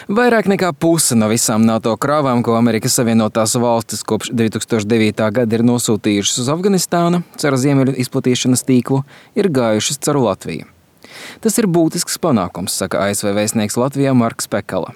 Vairāk nekā puse no visām NATO krāvām, ko Amerikas Savienotās valstis kopš 2009. gada ir nosūtījušas uz Afganistānu caur ziemeļu izplatīšanas tīklu, ir gājušas caur Latviju. Tas ir būtisks panākums, saka ASV vēstnieks Latvijā Marks Pekala.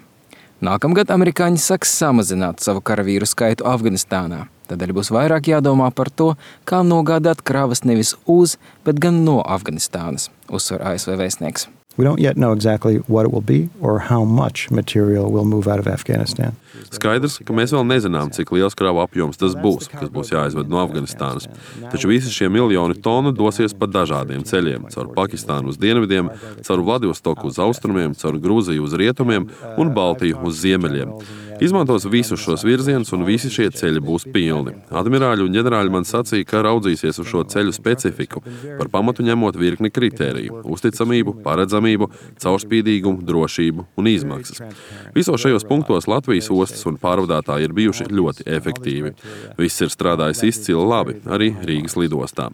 Nākamgad amerikāņi sāks samazināt savu karavīru skaitu Afganistānā. Tādēļ būs vairāk jādomā par to, kā nogādāt kravas nevis uz, bet gan no Afganistānas, uzsver ASV vēstnieks. We don't yet know exactly what it will be or how much material will move out of Afghanistan. Skaidrs, ka mēs vēl nezinām, cik liels kravu apjoms tas būs, kas būs jāizved no Afganistānas. Taču visi šie miljoni tonu dosies pa dažādiem ceļiem – caur Pakistānu uz dienvidiem, caur Vladivostoku uz austrumiem, caur Grūziju uz rietumiem un Baltiju uz ziemeļiem. Izmantos visus šos virzienus un visi šie ceļi būs pilni. Admirāļi un ģenerāļi man sacīja, ka raudzīsies uz šo ceļu specifiku, par pamatu ņemot virkni kritēriju – uzticamību, paredzamību, caurspīdīgumu, drošību un izmaksas. Visos šajos punktos Latvijas ostas un pārvadātāji ir bijuši ļoti efektīvi. Viss ir strādājis izcili labi, arī Rīgas lidostā.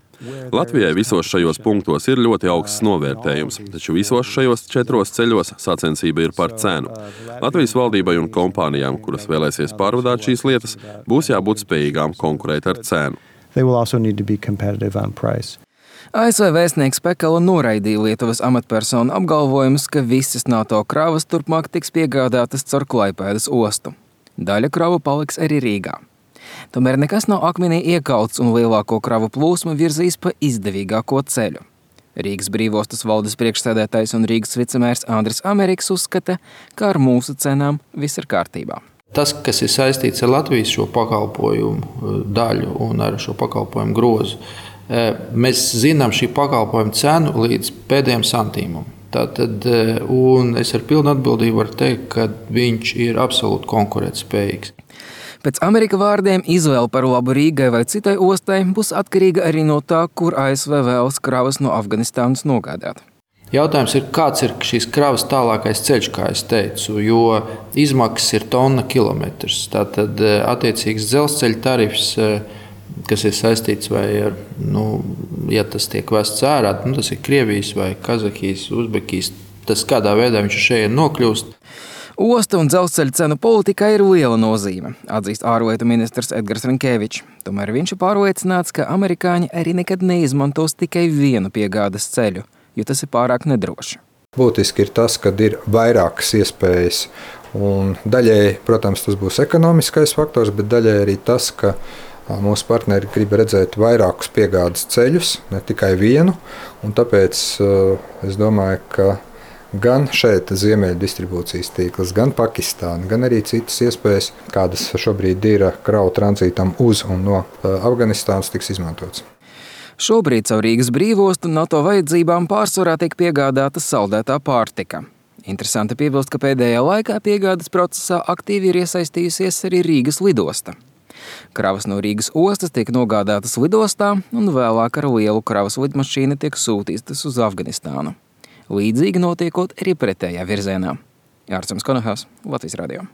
Latvijai visos šajos punktos ir ļoti augsts novērtējums, taču visos šajos 4 ceļos sacensība ir par cenu. Latvijas valdībai un kompānijām, kuras vēlēsies pārvadāt šīs lietas, būs jābūt spējīgām konkurēt ar cenu. They will also need to be competitive on price. ASV vēstnieks Pekala noraidīja Lietuvas amatpersonu apgalvojumus, ka visas NATO kravas turpmāk tiks piegādātas caur Klaipēdas ostu. Daļa kravu paliks arī Rīgā. Tomēr nekas nav akmenī iekauts un lielāko kravu plūsmu virzīs pa izdevīgāko ceļu. Rīgas brīvostas valdes priekšsēdētājs un Rīgas vicemērs Andris Ameriks uzskata, ka ar mūsu cenām viss ir kārtībā. Tas, kas ir saistīts ar Latvijas šo pakalpojumu daļu un ar šo pakalpojumu grozu, mēs zinām šī pakalpojuma cenu līdz pēdējiem santīmam. Tātad, un es ar pilnu atbildību varu teikt, ka viņš ir absolūti konkurētspējīgs. Pēc Amerika vārdiem izvēle par labu Rīgai vai citai ostai būs atkarīga arī no tā, kur ASV vēlas kravas no Afganistānas nogādāt. Jautājums ir, kāds ir šīs kravas tālākais ceļš, kā es teicu, jo izmaksas ir tonna kilometrs. Tātad attiecīgs dzelzceļa tarifs, kas ir saistīts vai ar, ja tas tiek vests ārā, tas ir Krievijas vai Kazahijas, Uzbekijas, tas kādā veidā viņš šeit nokļūst. Osta un dzelzceļa cenu politikā ir liela nozīme, atzīst ārlietu ministrs Edgars Rinkēvičs. Tomēr viņš ir pārliecināts, ka amerikāņi arī nekad neizmantos tikai vienu piegādes ceļu, jo tas ir pārāk nedroši. Būtiski ir tas, ka ir vairākas iespējas. Un daļēji, protams, tas būs ekonomiskais faktors, bet daļēji arī tas, ka mūsu partneri grib redzēt vairākus piegādes ceļus, ne tikai vienu. Un tāpēc es domāju, ka gan šeit ziemeļu distribūcijas tīkls, gan Pakistāna, gan arī citas iespējas, kādas šobrīd ir kravu tranzītam uz un no Afganistānas, tiks izmantotas. Šobrīd caur Rīgas brīvostu NATO vajadzībām pārsvarā tiek piegādāta saldētā pārtika. Interesanti piebilst, ka pēdējā laikā piegādes procesā aktīvi ir iesaistījusies arī Rīgas lidosta. Kravas no Rīgas ostas tiek nogādātas lidostā un vēlāk ar lielu kravas lidmašīnu tiek sūtītas uz Afganistānu. Līdzīgi notiekot arī pretējā virzienā. Ārsems Konahās, Latvijas radio.